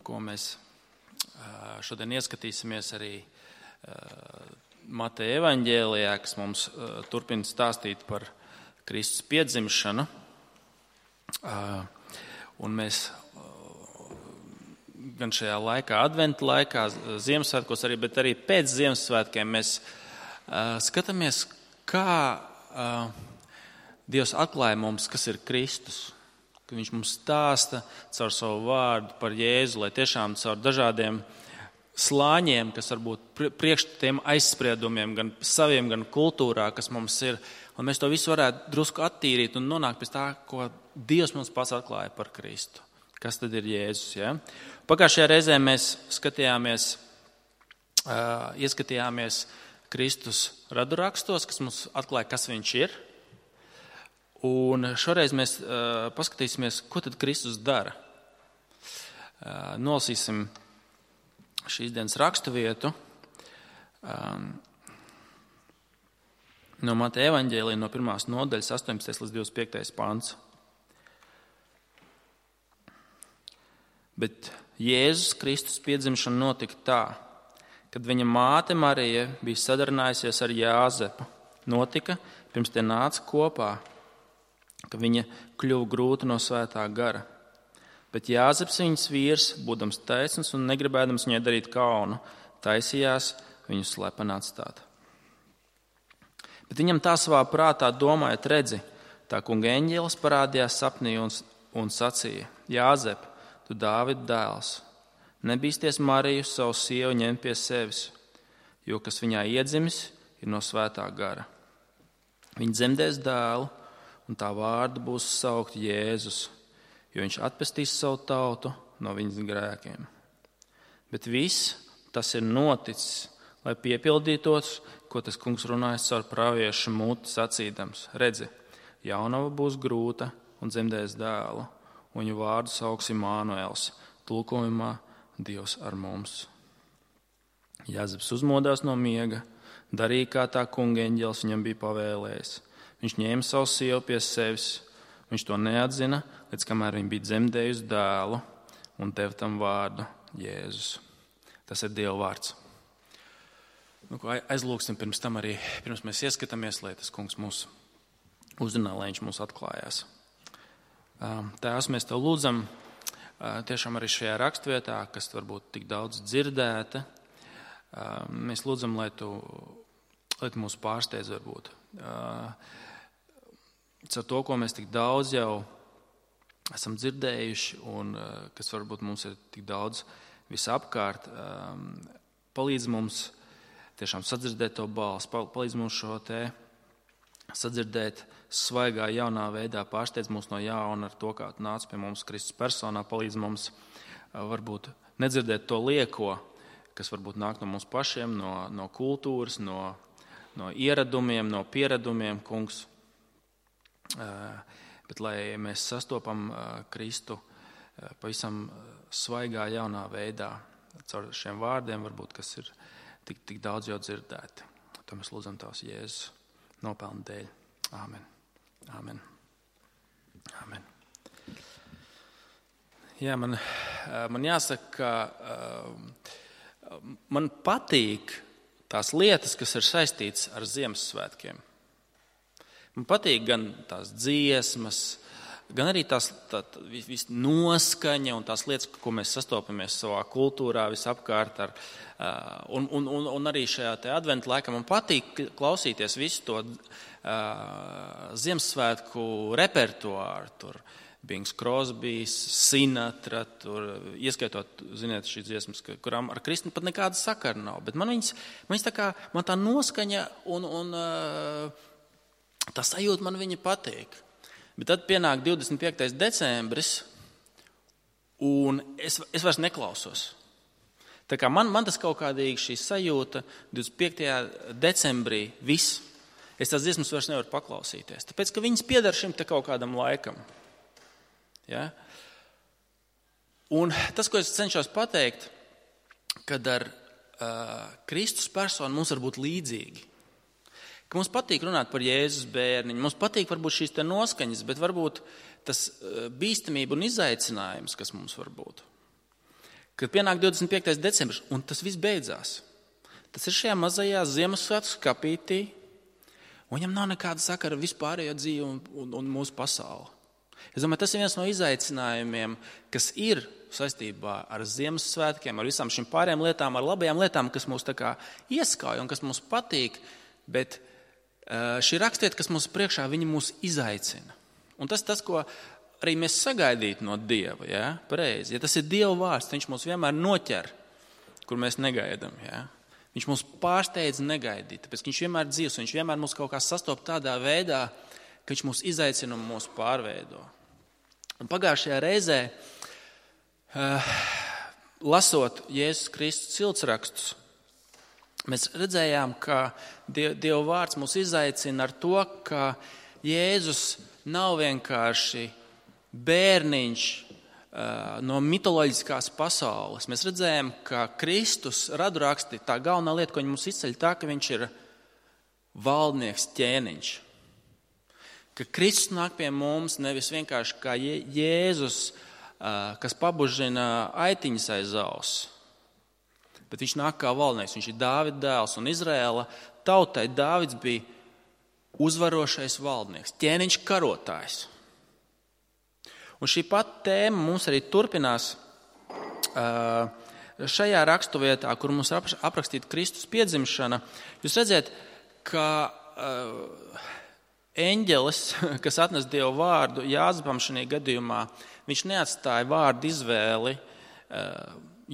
ko mēs šodien ieskatīsimies arī Mateja evaņģēlijā, kas mums turpina stāstīt par Kristus piedzimšanu. Un mēs gan šajā laikā, adventa laikā, Ziemassvētkos arī, bet arī pēc Ziemassvētkiem mēs skatāmies, kā Dievs atklāja mums, kas ir Kristus. Ka viņš mums stāsta caur savu vārdu par Jēzu, lai tiešām caur dažādiem slāņiem, kas varbūt priekš tiem aizspriedumiem, gan saviem, gan kultūrā, kas mums ir, un mēs to visu varētu drusku attīrīt un nonākt pie tā, ko Dievs mums pats atklāja par Kristu. Kas tad ir Jēzus? Ja? Pagājušajā reizē mēs ieskatījāmies Kristus radurakstos, kas mums atklāja, kas viņš ir. Un šoreiz mēs paskatīsimies, ko tad Kristus dara. Nolasīsim šīs dienas raksturvietu no Mateja evaņģēlija no 1. nodaļas 18. līdz 25. pants. Bet Jēzus Kristus piedzimšana notika tā, kad viņa māte Marija bija sadarinājusies ar Jāzepu. Notika, pirms tie nāca kopā, ka viņa kļuva grūta no svētā gara. Bet Jāzeps viņas vīrs, būdams taisns un negribēdams viņai darīt kaunu, taisījās viņu slepeni atstāt. Bet viņam tā savā prātā domājot, redzi, tā kunga eņģelis parādījās sapnī un sacīja: Jāzep, tu Dāvida dēls, nebīsties Mariju, savu sievu, ņemt pie sevis, jo kas viņā iedzimis, ir no svētā gara. Viņa dzemdēs dēlu, un tā vārdu būs saukt Jēzus, jo viņš atpestīs savu tautu no viņas grēkiem. Bet viss tas ir noticis, lai piepildītos, ko tas kungs runājas caur praviešu muti sacīdams. Redzi, jaunava būs grūta un dzemdēs dēlu, un viņu vārdu sauks Imānuels, tulkojumā Dievs ar mums. Jāzeps uzmodās no miega, darīja, kā tā kunga eņģelis viņam bija pavēlējis. Viņš ņēma savu sievu pie sevis, viņš to neatzina, līdz kamēr viņa bija dzemdējusi dēlu un deva tam vārdu Jēzus. Tas ir Dieva vārds. Aizlūksim pirms tam arī, pirms mēs ieskatāmies, lai tas kungs mūs uzrunā, lai viņš mūs atklājās. Tēvs, mēs tev lūdzam tiešām arī šajā rakstvietā, kas varbūt tik daudz dzirdēta. Mēs lūdzam, lai tu mūs pārsteidz varbūt. Caur to, ko mēs tik daudz jau esam dzirdējuši un kas varbūt mums ir tik daudz visapkārt, palīdz mums tiešām sadzirdēt to balsi, palīdz mums šo te sadzirdēt svaigā jaunā veidā, pārsteidz mūs no jauna ar to, kā tu nāc pie mums Kristus personā, palīdz mums varbūt nedzirdēt to lieko, kas varbūt nāk no mums pašiem, no kultūras, no ieradumiem, no pieredumiem, kungs. Bet lai mēs sastopam Kristu pavisam svaigā jaunā veidā, caur šiem vārdiem, varbūt, kas ir tik daudz jau dzirdēti. To mēs lūdzam tavs Jēzus nopelnu dēļ. Āmen. Āmen. Āmen. Jā, man jāsaka, ka man patīk tās lietas, kas ir saistītas ar Ziemassvētkiem. Man patīk gan tās dziesmas, gan arī tās noskaņa un tās lietas, ko mēs sastopamies savā kultūrā visapkārt. Un arī šajā te adventa laikā man patīk klausīties visu to Ziemassvētku repertuāru. Tur Bings Crosbys, Sinatra, tur ieskaitot, ziniet, šīs dziesmas, kurām ar Kristu pat nekāda sakara nav. Bet man viņas tā kā, man tā noskaņa un tā sajūta man viņa patīk. Bet tad pienāk 25. decembris, un es vairs neklausos. Tā kā man tas kaut kādīgi šī sajūta 25. decembrī viss. Es tās dziesmas vairs nevaru paklausīties. Tāpēc, ka viņas piedar šim te kaut kādam laikam. Ja? Un tas, ko es cenšos pateikt, kad ar Kristus personu mums var būt līdzīgi. Ka mums patīk runāt par Jēzus bērniņu, mums patīk varbūt šīs te noskaņas, bet varbūt tas bīstamība un izaicinājums, kas mums var būt. kad pienāk 25. decembris, un tas viss beidzās. Tas ir šajā mazajā Ziemassvētku skapītī, un viņam nav nekāda sakara ar vispārējo dzīvi un mūsu pasauli. Es domāju, tas ir viens no izaicinājumiem, kas ir saistībā ar Ziemassvētkiem, ar visām šīm pārējām lietām, ar labajām lietām, kas mūs tā kā ieskauj un kas mums patīk, bet šī rakstiet, kas mums priekšā, viņi mūs izaicina. Un tas, ko arī mēs sagaidītu no Dieva, ja? Pareizi. Ja tas ir Dieva vārds, viņš mūs vienmēr noķer, kur mēs negaidām. Ja? Viņš mūs pārsteidz negaidīt, tāpēc viņš vienmēr dzīvs, viņš vienmēr mūs kaut kā sastop tādā veidā, ka viņš mūs izaicina un mūs pārveido. Un pagājušajā reizē, lasot Jēzus Kristus ciltsrakstus, mēs redzējām, ka Dieva vārds mūs izaicina ar to, ka Jēzus nav vienkārši bērniņš no mitoloģiskās pasaules. Mēs redzējām, ka Kristus raduraksti, tā galvenā lieta, ko viņi mums izceļ, tā, ka viņš ir valdnieks, ķēniņš. Ka Kristus nāk pie mums nevis vienkārši kā Jēzus, kas pabužina aitiņas aiz auss, bet viņš nāk kā valdnieks, viņš ir Dāvida dēls, un Izraēla tautai Dāvids bija uzvarošais valdnieks, ķēniņš karotājs. Un šī pat tēma mums arī turpinās šajā raksturvietā, kur mums aprakstīta Kristus piedzimšana. Jūs redzat, ka eņģelis, kas atnes Dievu vārdu Jāzepam šajā gadījumā, viņš neatstāja vārdu izvēli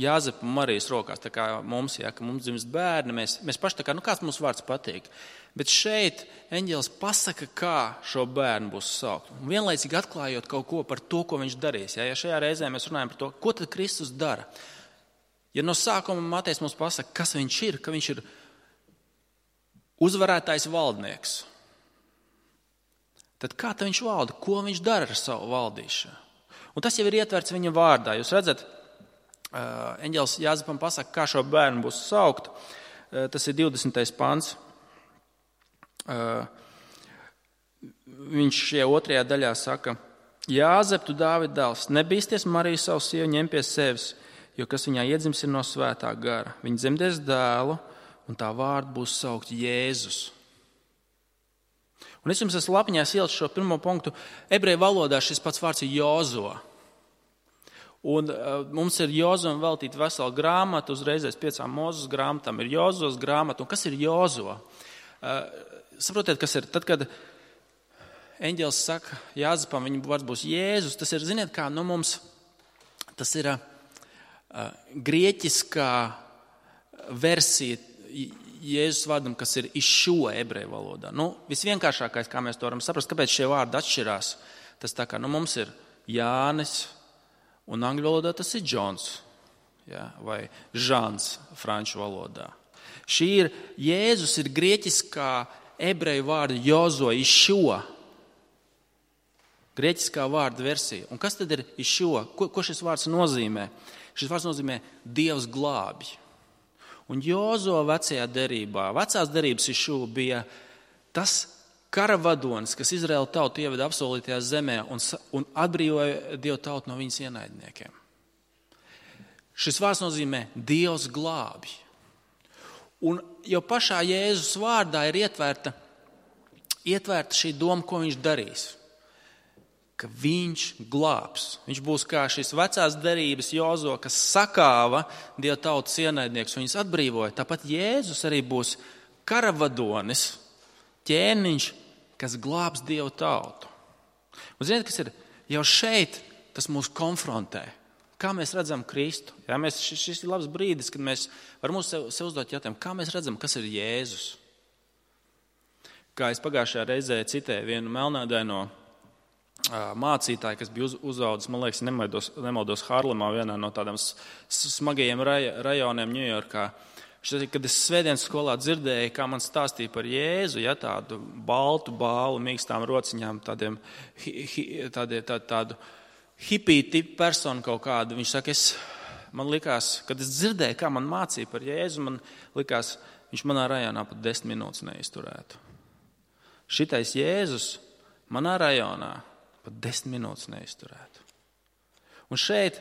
Jāzepa un Marijas rokās, tā kā mums, ja, ka mums dzimst bērni, mēs paši tā kā, kāds mums vārds patīk. Bet šeit eņģelis pasaka, kā šo bērnu būs saukt. Un vienlaicīgi atklājot kaut ko par to, ko viņš darīs. Ja šajā reizē mēs runājam par to, ko tad Kristus dara. Ja no sākuma Matejs mums pasaka, kas viņš ir, ka viņš ir uzvarētājs valdnieks, tad kā tad viņš valda, ko viņš dara ar savu valdīšanu? Un tas jau ir ietverts viņa vārdā. Jūs redzat, eņģelis Jāzepam pasaka, kā šo bērnu būs saukt. Tas ir 20. pants. Viņš šajā otrajā daļā saka, Jāzep, tu Dāvida dēls, nebīsties Mariju savu sievu ņem pie sevis, jo kas viņā iedzims ir no svētā gara. Viņa dzemdēs dēlu, un tā vārdu būs saukt Jēzus. Un es jums esmu lapiņās ielicis šo pirmo punktu. Ebreju valodā šis pats vārds ir Jozo. Un mums ir Jozum veltīta vesela grāmata, uzreiz 5 Mūzes grāmatām ir Jozos grāmata. Un kas ir Jozo? Saprotiet, kas ir? Tad, kad eņģelis saka Jāzepam, viņa vārds būs Jēzus, tas ir, ziniet kā, mums tas ir grieķiskā versija Jēzus vārdam, kas ir Išua ebreju valodā. Visvienkāršākais, kā mēs to varam saprast, kāpēc šie vārdi atšķirās, tas tā kā, mums ir Jānis, un angļu valodā tas ir Džons, ja, vai Žans franču valodā. Jēzus ir grieķiskā ebreju vārda Jozo, Išua. Grieķiskā vārda versija. Un kas tad ir Išua? Ko šis vārds nozīmē? Šis vārds nozīmē Dievs glābj. Un Jozo vecajā derībā, vecās derības Išua bija tas karavadonis, kas Izraēla tautu ieveda apsolītajā zemē un atbrīvoja Dievu tautu no viņas ienaidniekiem. Šis vārds nozīmē Dievs glābj. Un jau pašā Jēzus vārdā ir ietvērta šī doma, ko viņš darīs. Ka viņš glābs. Viņš būs kā šis vecās derības Jozo, kas sakāva Dieva tautas ienaidniekus un viņus atbrīvoja. Tāpat Jēzus arī būs karavadonis, ķēniņš, kas glābs Dieva tautu. Un ziniet, kas ir? Jau šeit tas mūs konfrontē. Kā mēs redzam Kristu? Ja, šis ir labs brīdis, kad mēs varam sev uzdot jautājumu, kā mēs redzam, kas ir Jēzus. Kā es pagājušajā reizē citēju vienu melnādaino mācītāju, kas bija uzaudzis, man liekas, nemaldos Harlemā, vienā no tādām smagajiem rajoniem Ņujorkā. Kad es svētdienas skolā dzirdēju, kā man stāstīja par Jēzu, ja, tādu baltu bālu, mīkstām rociņām, tādu hipiju tipu personu kaut kādu. Viņš saka, man likās, kad es dzirdēju, kā man mācīja par Jēzu, man likās, viņš manā rajonā pat 10 minūtes neizturētu. Šitais Jēzus manā rajonā pat 10 minūtes neizturētu. Un šeit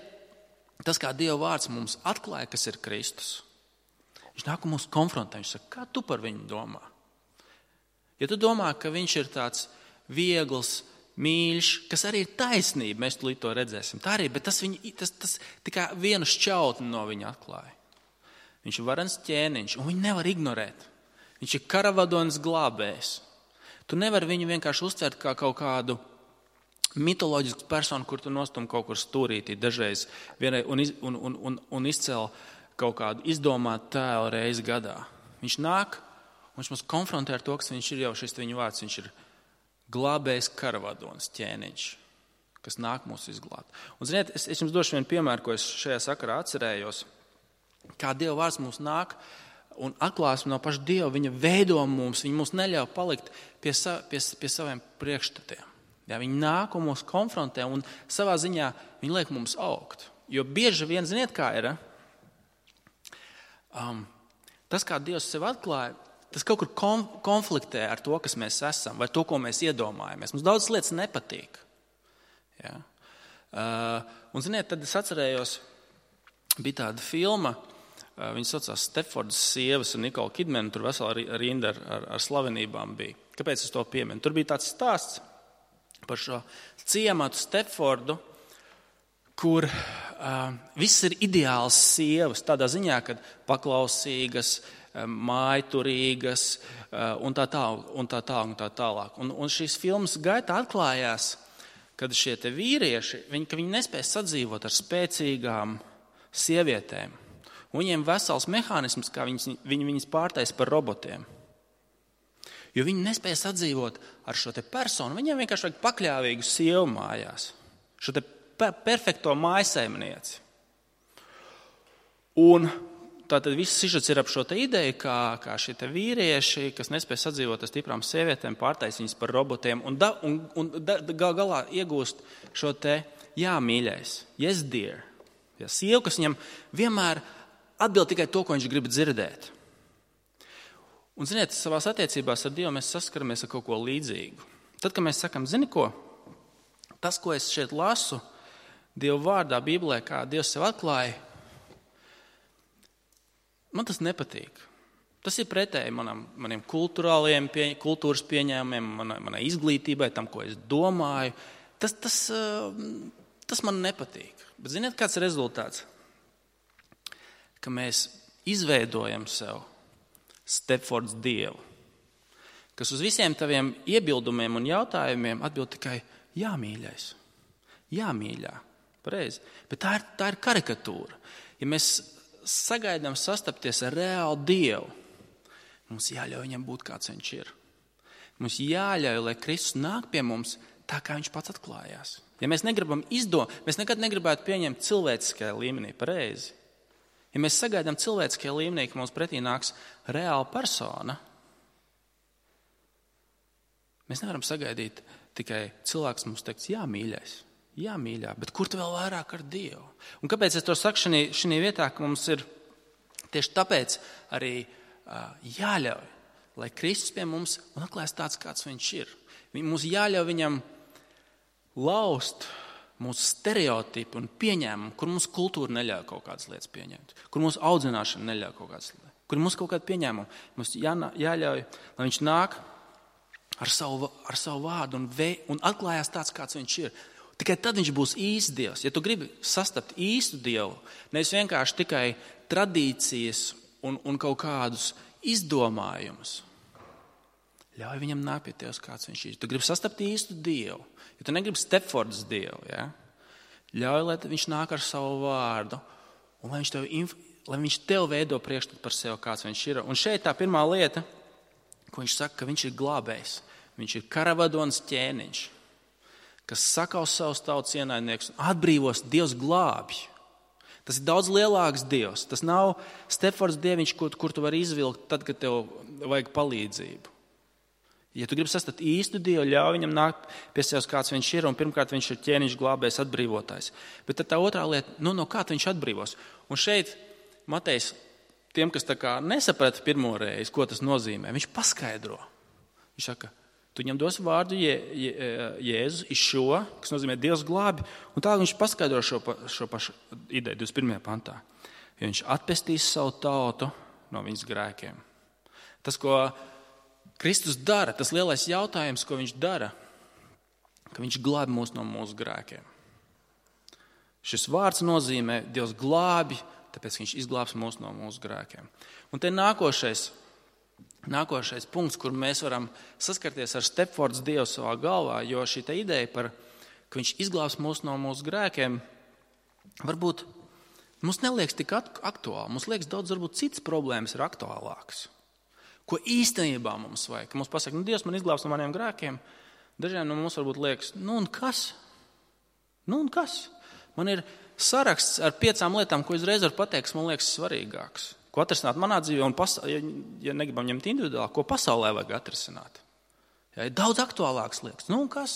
tas, kā Dieva vārds mums atklāja, kas ir Kristus, viņš nāk un mūs konfrontē. Viņš saka, kā tu par viņu domā? Ja tu domā, ka viņš ir tāds viegls, mīļš, kas arī ir taisnība, mēs tulīt to redzēsim. Tā arī, bet tas tikai vienu šķautni no viņa atklāja. Viņš ir varens ķēniņš, un viņu nevar ignorēt. Viņš ir karavadonis glābējs. Tu nevari viņu vienkārši uztvert kā kaut kādu mitoloģisku personu, kur tu nostum kaut kur stūrītī dažreiz un izcēl kaut kādu izdomātu tēlu reizi gadā. Viņš nāk, un viņš mums konfrontē ar to, kas viņš ir jau šis viņa vārds. Viņš ir glābējs karavadonis, ķēniņš, kas nāk mūs izglābt. Un, ziniet, es jums došu vienu piemēru, ko es šajā sakarā atcerējos. Kā Dieva vārds mums nāk un atklāsme no paša Dieva, viņa veido mums, viņa mums neļauj palikt pie saviem priekšstatiem. Ja, viņa nāk un mūs konfrontē, un savā ziņā viņa liek mums augt. Jo bieži vien, ziniet, kā ir, tas, kā Dievs sev atklāja, tas kaut kur konfliktē ar to, kas mēs esam, vai to, ko mēs iedomājamies. Mums daudz lietas nepatīk. Ja? Un, ziniet, tad es atcerējos, bija tāda filma, viņa saucās Stepfordas sievas un Nikola Kidmana, tur vesela rinda ar slavenībām bija. Kāpēc es to pieminu? Tur bija tāds stāsts par šo ciematu Stepfordu, kur viss ir ideāls sievas, tādā ziņā, kad paklausīgas, mājturīgas un tā tālāk. Un šīs filmas gaitā atklājās, kad šie te vīrieši, viņi nespēja sadzīvot ar spēcīgām sievietēm. Un viņiem vesels mehānisms, kā viņas pārtais par robotiem. Jo viņi nespēja sadzīvot ar šo te personu. Viņiem vienkārši vajag pakļāvīgu sievu mājās. Šo te perfekto mājsaimnieci. Un tātad viss sižets ir ap šo te ideju, kā šie te vīrieši, kas nespēja sadzīvot ar stiprām sievietēm, pārtais viņas par robotiem un galā iegūst šo te jā, mīļais, yes dear. Ja, sievu, kas viņam vienmēr atbild tikai to, ko viņš grib dzirdēt. Un, ziniet, savās attiecībās ar Dievu mēs saskaramies ar kaut ko līdzīgu. Tad, kad mēs sakam, zini ko, tas, ko es šeit lasu Dieva vārdā, Bībelē, kā Dievs sev atklāja, man tas nepatīk. Tas ir pretēji maniem kultūras pieņēmumiem, manai izglītībai, tam, ko es domāju. Tas man nepatīk. Bet ziniet, kāds ir rezultāts? Ka mēs izveidojam sev Stepfords Dievu, kas uz visiem taviem iebildumiem un jautājumiem atbild tikai jā, mīļais, jā, mīļā, pareizi. Bet tā ir karikatūra. Ja mēs sagaidām sastapties ar reālu Dievu, mums jāļauj viņam būt, kāds viņš ir. Mums jāļauj, lai Kristus nāk pie mums tā, kā viņš pats atklājās. Ja mēs negribam mēs nekad negribētu pieņemt cilvēciskajā līmenī, pareizi. Ja mēs sagaidām cilvēciskajā līmenī, ka mums pretī nāks reāla persona, mēs nevaram sagaidīt tikai cilvēks mums teiks, jā, mīļais, jā, mīļā, bet kur tu vēl vairāk ar Dievu? Un kāpēc es to saku šī vietā, ka mums ir tieši tāpēc arī jāļauj, lai Kristus pie mums un atklājas tāds, kāds viņš ir. Mums jāļauj viņam laust mūsu stereotipi un pieņēmumi, kur mums kultūra neļauj kaut kādas lietas pieņemt, kur mūsu audzināšana neļauj kaut kādas lietas, kur mums kaut kāda pieņēmuma. Mums jāļauj, lai viņš nāk ar savu vārdu un atklājās tāds, kāds viņš ir. Tikai tad viņš būs īsts Dievs. Ja tu gribi sastapt īstu Dievu, nevis vienkārši tikai tradīcijas un kaut kādus izdomājumus, ļauj viņam nākt pie tevis, kāds viņš ir. Tu gribi sastapt īstu Dievu. Ja tu negribi Stepfordas Dievu, ja? Ļauj, lai viņš nāk ar savu vārdu un lai viņš tev veido priekšstatu par sevi, kāds viņš ir. Un šeit tā pirmā lieta, ko viņš saka, ka viņš ir glābējs. Viņš ir karavadonis ķēniņš, kas sakaus savus tautas ienaidniekus un atbrīvos. Dievs glābj. Tas ir daudz lielāks Dievs. Tas nav Stepfordas Dieviņš, kur tu vari izvilkt tad, kad tev vajag palīdzību. Ja tu gribi sastapt īstu Dievu, ļauj viņam nākt pie sevis, kāds viņš ir, un pirmkārt viņš ir ķēniņš, glābējs, atbrīvotājs. Bet tad tā otrā lieta, no kā viņš atbrīvos? Un šeit Matejs, tiem, kas tā kā nesaprata pirmo reizi, ko tas nozīmē, viņš paskaidro. Viņš saka, tu viņam dos vārdu Jēzus iz šo, kas nozīmē Dievs glābi, un tā viņš paskaidro šo pašu ideju 21. pantā. Jo viņš atpestīs savu tautu no viņas grēkiem. Tas, ko Kristus dara, tas lielais jautājums, ko viņš dara, ka viņš glābi mūs no mūsu grēkiem. Šis vārds nozīmē Dievs glābi, tāpēc viņš izglābs mūs no mūsu grēkiem. Un te nākošais punkts, kur mēs varam saskarties ar Stepfords Dievu savā galvā, jo šī te ideja par, ka viņš izglābs mūs no mūsu grēkiem, varbūt mums neliekas tik aktuāli. Mums liekas daudz, varbūt citas problēmas ir aktuālākas. Ko īstenībā mums vajag? Ka mums pasaka, Dievs man izglābs no maniem grēkiem. Dažiem no mums varbūt liekas, nu un kas? Man ir saraksts ar 5 lietām, ko uzreiz var pateikt, kas man liekas svarīgāks. Ko atrisināt manā dzīvē un, ja negribam ņemt individuāli, ko pasaulē vajag atrisināt. Ja, ir daudz aktuālākas lietas. Nu un kas?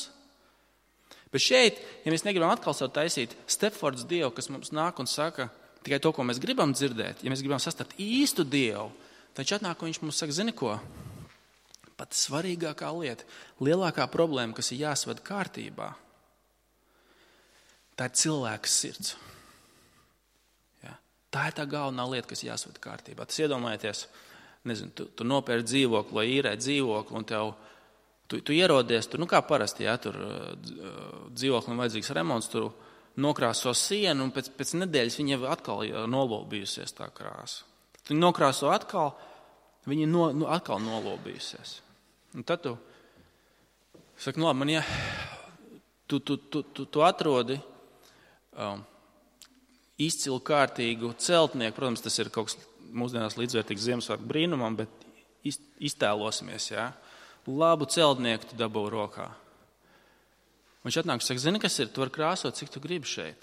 Bet šeit, ja mēs negribam atkal savu taisīt Stepfords Dievu, kas mums nāk un saka tikai to, ko mēs gribam dzirdēt, ja mēs gribam sastapt īstu Dievu, tad viņš atnāk un viņš mums saka, zini ko? Pat svarīgākā lieta, lielākā problēma, kas ir jāsved kārtībā, tā ir cilvēka sirds. Ja? Tā ir tā galvenā lieta, kas jāsved kārtībā. Tas iedomājieties, nezinu, tu nopērci dzīvokli vai īrē dzīvokli un tu ierodies, tur, kā parasti, ja, tur dzīvoklim vajadzīgs remonts, tur nokrāso sienu un pēc nedēļas viņa atkal nolobījusies tā krāsa. Tu nokrāso atkal, viņa atkal nolobījusies. Un tad tu saki, nu labi, tu atrodi izcilu kārtīgu celtnieku, protams, tas ir kaut kas mūsdienās līdzvērtīgs Ziemassvētku brīnumam, bet iztēlosimies, jā. Labu celtnieku tu dabū rokā. Viņš atnāk un saka, zini, kas ir, tu vari krāsot, cik tu gribi šeit.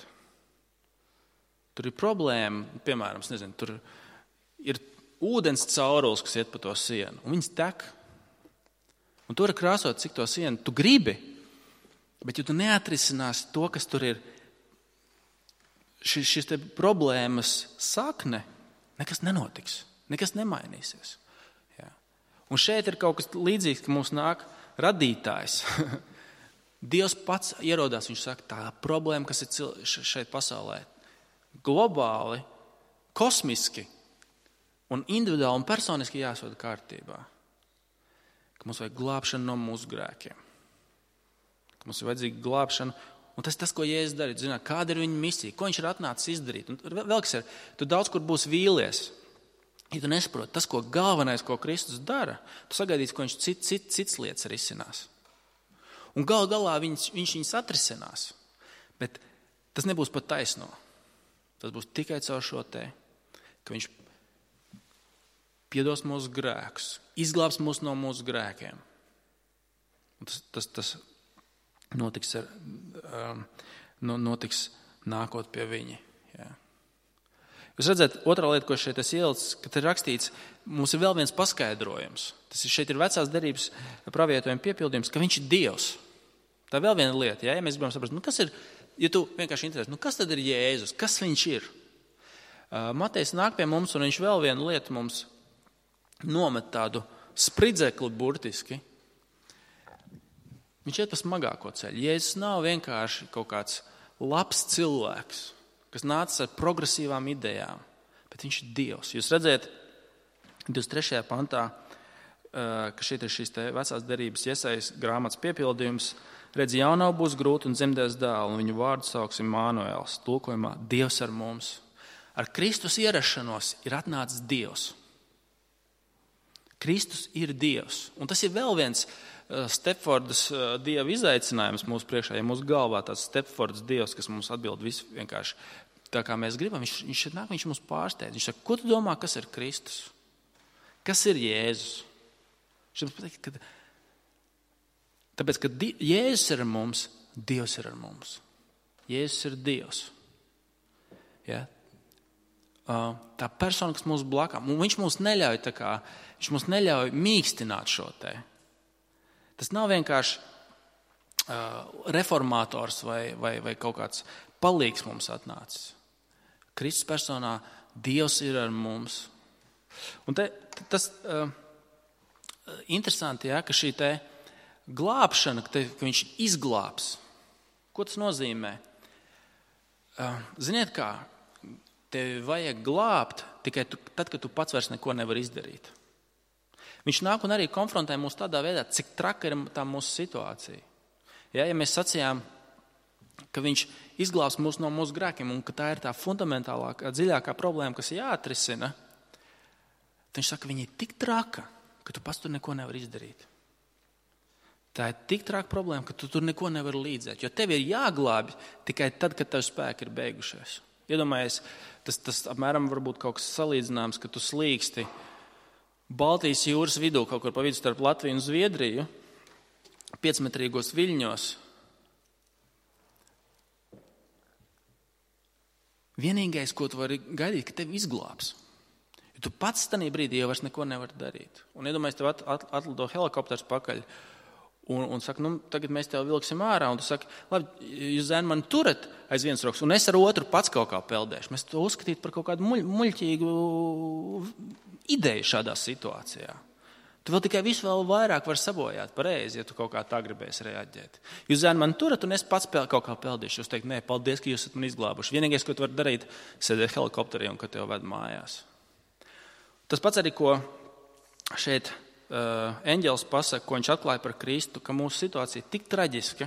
Tur ir problēma, piemēram, nezinu, tur ir ūdens caurules, kas iet pa to sienu, un viņas tek. Un tu vari krāsot, cik to sienu tu gribi, bet ja tu neatrisinās to, kas tur ir, šis te problēmas sakne, nekas nenotiks, nekas nemainīsies. Jā. Un šeit ir kaut kas līdzīgs, ka mums nāk radītājs. Dievs pats ierodās, viņš saka, tā problēma, kas ir šeit pasaulē, globāli, kosmiski un individuāli un personiski jāsved kārtībā. Ka mums vajag glābšanu no mūsu grēkiem. Ka mums ir vajadzīga glābšana. Un tas, ko Jēzus darīja, zināt, kāda ir viņa misija, ko viņš ir atnācis izdarīt. Un vēl kas ir, tu daudz kur būs vīlies. Ja tu nesaproti, tas, ko galvenais, ko Kristus dara, tu sagaidīsi, ko viņš cits lietas risinās. Un galā viņš viņas atrisinās. Bet tas nebūs pat taisno. Tas būs tikai caur šo te, ka viņš piedos mūsu grēkus, izglābs mūs no mūsu grēkiem. Un tas notiks nākot pie viņa. Jā. Jūs redzat, otrā lieta, ko šeit es ielicu, ka te ir rakstīts, mums ir vēl viens paskaidrojums. Šeit ir vecās derības pravietojuma piepildījums, ka viņš ir Dievs. Tā ir vēl viena lieta, ja mēs gribam saprast, kas ir, ja tu vienkārši interesēs, kas tad ir Jēzus, kas viņš ir? Matejs nāk pie mums, un viņš vēl vienu lietu mums nomet tādu spridzekli burtiski. Viņš iet pa smagāko ceļu. Jēzus nav vienkārši kaut kāds labs cilvēks, kas nācis ar progresīvām idejām, bet viņš ir Dievs. Jūs redzēt, 23. pantā, ka šeit ir šīs vecās derības Jesajas grāmatas piepildījums, redz, jaunau būs grūti un dzemdēs dēlu, un viņu vārdu sauksim Mānuēls, tulkojumā Dievs ar mums. Ar Kristus ierašanos ir atnācis Dievs. Kristus ir Dievs. Un tas ir vēl viens Stepfordas Dieva izaicinājums mūsu priekšā, ja mūsu galvā tāds Stepfordas Dievs, kas mums atbild visu vienkārši tā, kā mēs gribam, viņš šeit nāk, viņš mums pārsteidz. Viņš saka, ko tu domā, kas ir Kristus? Kas ir Jēzus? Tāpēc, ka Jēzus ir ar mums, Dievs ir ar mums. Jēzus ir Dievs. Ja? Tā persona, kas mūsu blakām, un viņš mums neļauj mīkstināt šo te. Tas nav vienkārši reformators vai kaut kāds palīgs mums atnācis. Kristus personā Dievs ir ar mums. Un tas interesanti, ja, ka šī te glābšana, ka viņš izglābs. Ko tas nozīmē? Ziniet kā, tevi vajag glābt tikai tad, kad tu pats vairs neko nevar izdarīt. Viņš nāk un arī konfrontē mūs tādā veidā, cik traka ir tā mūsu situācija. Ja mēs sacījām, ka viņš izglābs mūs no mūsu grēkiem un ka tā ir tā fundamentālākā, dziļākā problēma, kas jāatrisina, tad viņš saka, ka viņa ir tik traka, ka tu pats tur neko nevar izdarīt. Tā ir tik traka problēma, ka tu tur neko nevar līdzēt, jo tev ir jāglābj tikai tad, kad tev spēki ir beigušies. Iedomājies, tas apmēram varbūt kaut kas salīdzināms, ka tu slīksti Baltijas jūras vidū, kaut kur pa vidu starp Latviju un Zviedriju, 5-metrīgos viļņos. Vienīgais, ko tu vari gaidīt, ka tevi izglābs. Jo tu pats tajā brīdī jau vairs neko nevar darīt. Un iedomājies, tev atlido helikopters pakaļ un saka, tagad mēs tev vilksim ārā. Un tu saki, labi, jūs zēni mani turat aiz vienas rokas, un es ar otru pats kaut kā peldēšu. Mēs to uzskatītu par kaut kādu muļķīgu ideju šādā situācijā. Tu vēl tikai visu vēl vairāk var sabojāt pareizi, ja tu kaut kā tā gribēsi reaģēt. Jūs zēni mani turat, un es pats kaut kā peldīšu. Jūs teikt, nē, paldies, ka jūs esat mani izglābuši. Vienīgais, ko tu vari darīt, sēdēt helikopterī un kad tev ved mājās. Tas pats arī, ko šeit eņģelis pasaka, ko viņš atklāja par Kristu, ka mūsu situācija ir tik traģiska,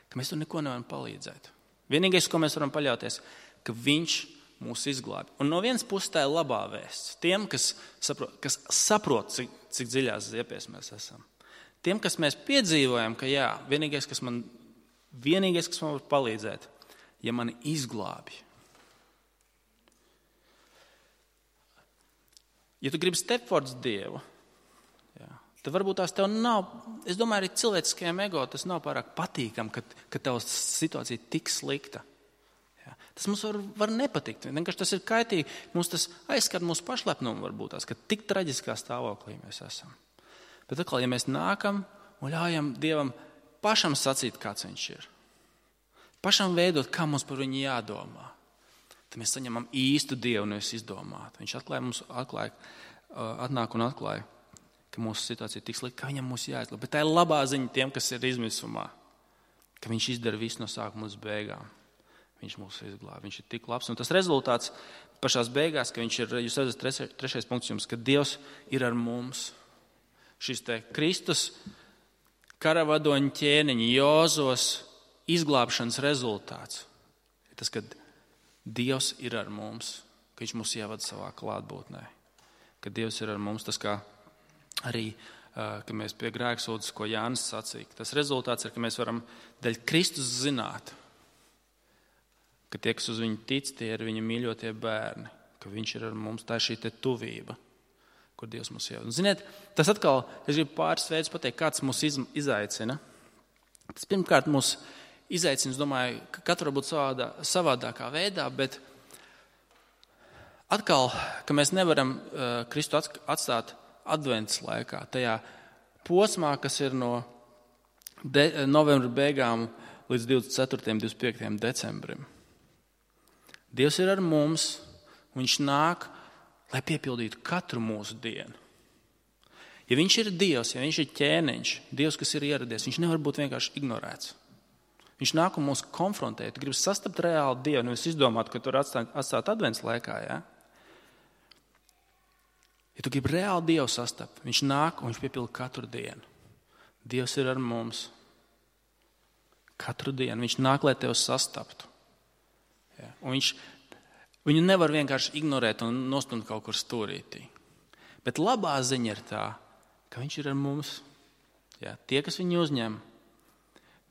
ka mēs tur neko nevaram palīdzēt. Vienīgais, ko mēs varam paļauties, ka viņš mūs izglābi. Un no vienas puses tā ir labā vēsts. Tiem, kas saprot cik dziļās ziepēs mēs esam. Tiem, kas mēs piedzīvojam, ka jā, vienīgais, kas man var palīdzēt, ja mani izglābi. Ja tu gribi stepfords Dievu, tad varbūt tās tev nav, es domāju, arī cilvēciskajam ego tas nav pārāk patīkam, ka tev situācija ir tik slikta. Ja. Tas mums var nepatikt, vienkārši tas ir kaitīgi, mums tas aizskat mūsu pašlepnumu varbūt tās, ka tik traģiskā stāvoklī mēs esam. Bet atkal, ja mēs nākam un ļaujam Dievam pašam sacīt, kāds viņš ir, pašam veidot, kā mums par viņu jādomā, tad mēs saņemam īstu Dievu, nevis izdomātu. Viņš atnāk un atklāja, ka mūsu situācija ir tik slikta, ka viņam mūs jāizglāb. Bet tā ir labā ziņa tiem, kas ir izmisumā, ka viņš izdara visu no sākuma līdz beigām. Viņš mūs izglāb. Viņš ir tik labs. Un tas rezultāts pašās beigās, ka viņš ir, jūs redzat, trešais punkts jums, ka Dievs ir ar mums. Šis te Kristus karavadoņa ķēniņa Jozos izglābšanas rezultāts ir tas, ka Dievs ir ar mums, ka viņš mūs ievada savā klātbūtnē. Ka Dievs ir ar mums, tas kā arī, ka mēs pie grēksūdzes, ko Jānis sacīja. Tas rezultāts ir, ka mēs varam daļ Kristus zināt, ka tie, kas uz viņu tic, tie ir viņa mīļotie bērni, ka viņš ir ar mums, tā ir šī te tuvība, kur Dievs mūs ievada. Un ziniet, tas atkal, es gribu pāris veidus pateikt, kāds mūs izaicina. Tas pirmkārt mūs izaicina, es domāju, ka katru varbūt savādākā veidā, bet atkal, ka mēs nevaram Kristu atstāt advents laikā, tajā posmā, kas ir no novembra beigām līdz 24. un 25. decembrim. Dievs ir ar mums, un viņš nāk, lai piepildītu katru mūsu dienu. Ja viņš ir Dievs, ja viņš ir ķēniņš, Dievs, kas ir ieradies, viņš nevar būt vienkārši ignorēts. Viņš nāk un mūs konfrontē. Tu gribi sastapt reāli Dievu, nevis izdomāt, ka tur atstāt advents laikā, ja? Ja tu gribi reāli Dievu sastapt, viņš nāk un viņš piepilda katru dienu. Dievs ir ar mums. Katru dienu. Viņš nāk, lai tevi sastaptu. Ja. Un viņu nevar vienkārši ignorēt un nostumt kaut kur stūrītī. Bet labā ziņa ir tā, ka viņš ir ar mums. Ja. Tie, kas viņu uzņem,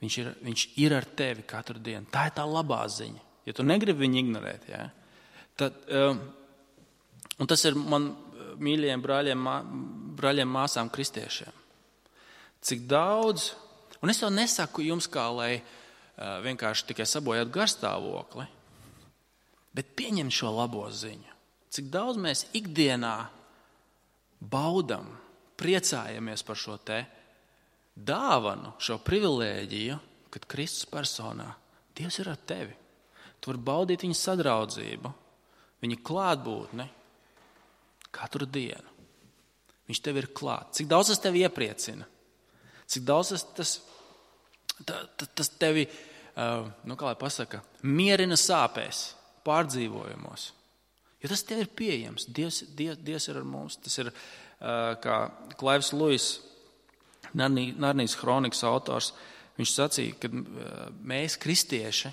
viņš ir ar tevi katru dienu. Tā ir tā labā ziņa. Ja tu negribi viņu ignorēt, ja, tad, un tas ir man mīļajiem brāļiem, māsām, kristiešiem. Cik daudz, un es jau nesaku jums kā, lai vienkārši tikai sabojātu garstāvokli, bet pieņem šo labo ziņu. Cik daudz mēs ikdienā baudam, priecājamies par šo te dāvanu, šo privilēģiju, kad Kristus personā Dievs ir ar tevi. Tu vari baudīt viņa sadraudzību, viņa klātbūtni, katru dienu. Viņš tev ir klāt. Cik daudz tas tevi iepriecina? Cik daudz tas tevi, kā lai pasaka, mierina sāpēs, pārdzīvojumos. Jo tas tev ir pieejams. Dievs ir ar mums. Tas ir, kā Klaivs Luis, Narnijas kronikas autors, viņš sacīja, ka mēs, kristieši,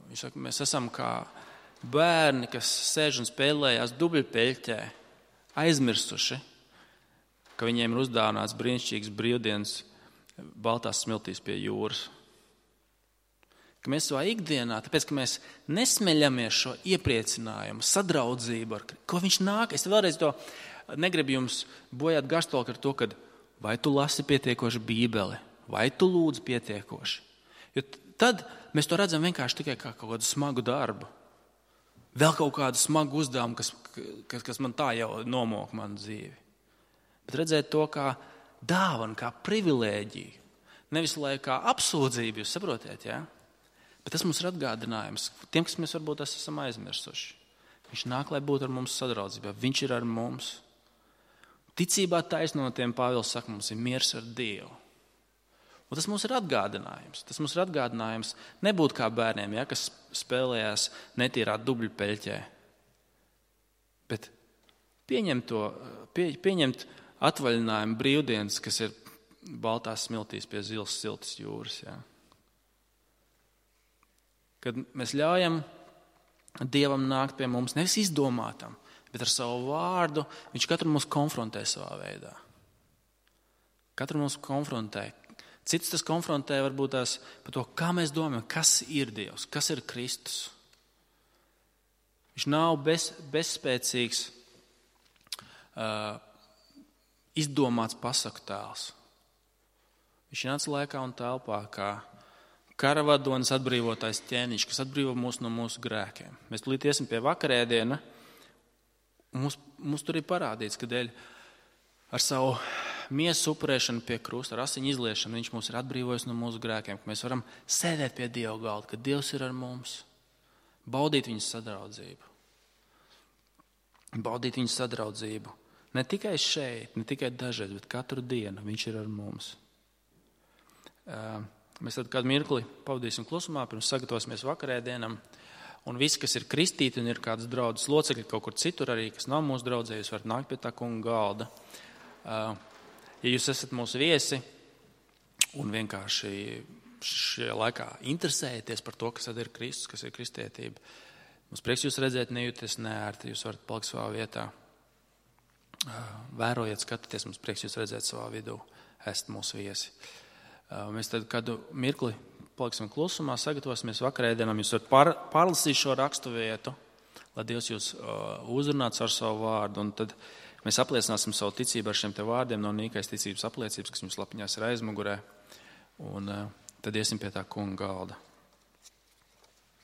viņš saka, mēs esam kā bērni, kas sēž un spēlējās dubļpeļķē, aizmirsuši, ka viņiem ir uzdāvināts brīnišķīgs brīvdienas baltās smiltīs pie jūras. Ka mēs savā ikdienā, tāpēc, ka mēs nesmeļamies šo iepriecinājumu, sadraudzību, ko viņš nāk. Es vēlreiz to negribu jums bojāt garstolku ar to, ka vai tu lasi pietiekoši Bībeli, vai tu lūdzi pietiekoši. Jo tad mēs to redzam vienkārši tikai kā kaut kādu smagu darbu. Vēl kaut kādu smagu uzdevumu, kas man tā jau nomok manu dzīvi. Bet redzēt to kā dāvanu, kā privilēģiju. Nevis lai kā apsūdzību, jūs saprotiet, jā? Bet tas mums ir atgādinājums tiem, kas mēs varbūt esam aizmirsuši. Viņš nāk, lai būtu ar mums sadraudzībā. Viņš ir ar mums. Ticībā taisnotiem Pāvils saka, mums ir miers ar Dievu. Un tas mums ir atgādinājums. Tas mums ir atgādinājums nebūt kā bērniem, ja, kas spēlējās netīrā dubļpeļķē. Bet pieņemt atvaļinājumu brīvdienas, kas ir baltās smiltīs pie zilas siltas jūras. Ja. Kad mēs ļaujam Dievam nākt pie mums, nevis izdomātam, bet ar savu vārdu, viņš katru mūs konfrontē savā veidā. Katru mūs konfrontē. Cits tas konfrontē varbūt tās par to, kā mēs domājam, kas ir Dievs, kas ir Kristus. Viņš nav bezspēcīgs, izdomāts pasaku tēls. Viņš nāca laikā un telpā kā karavadonis atbrīvotājs ķēniņš, kas atbrīvo mūs no mūsu grēkiem. Mēs tulīt iesim pie vakarēdiena, un mums tur ir parādīts, ka dēļ ar savu miesu upurēšanu pie krusta, ar asiņu izliešanu, viņš mūs ir atbrīvojis no mūsu grēkiem, ka mēs varam sēdēt pie Dieva galda, ka Dievs ir ar mums, baudīt viņas sadraudzību. Baudīt viņas sadraudzību. Ne tikai šeit, ne tikai dažreiz, bet katru dienu viņš ir ar mums. Mēs tad kādu mirkli pavadīsim klusumā, pirms sagatavosimies vakarēdienam. Un visi, kas ir kristīti un ir kāds draudzes locekļi kaut kur citur arī, kas nav mūsu draudzē, jūs varat nākt pie tā kunga galda. Ja jūs esat mūsu viesi un vienkārši šajā laikā interesējaties par to, kas tad ir Kristus, kas ir kristietība, mums prieks jūs redzēt, nejūties neērti, jūs varat palikt savā vietā. Vērojiet, skatieties, mums prieks jūs redzēt savā vidū, esat mūsu viesi. Mēs tad kādu mirkli paliksim klusumā, sagatavosimies vakarēdienam. Jūs varat pārlasīt šo rakstu vietu, lai Dievs jūs uzrunāts ar savu vārdu. Un tad mēs apliecināsim savu ticību ar šiem te vārdiem no nīkais ticības apliecības, kas jums lapiņās ir aizmugurē. Un tad iesim pie tā kunga galda.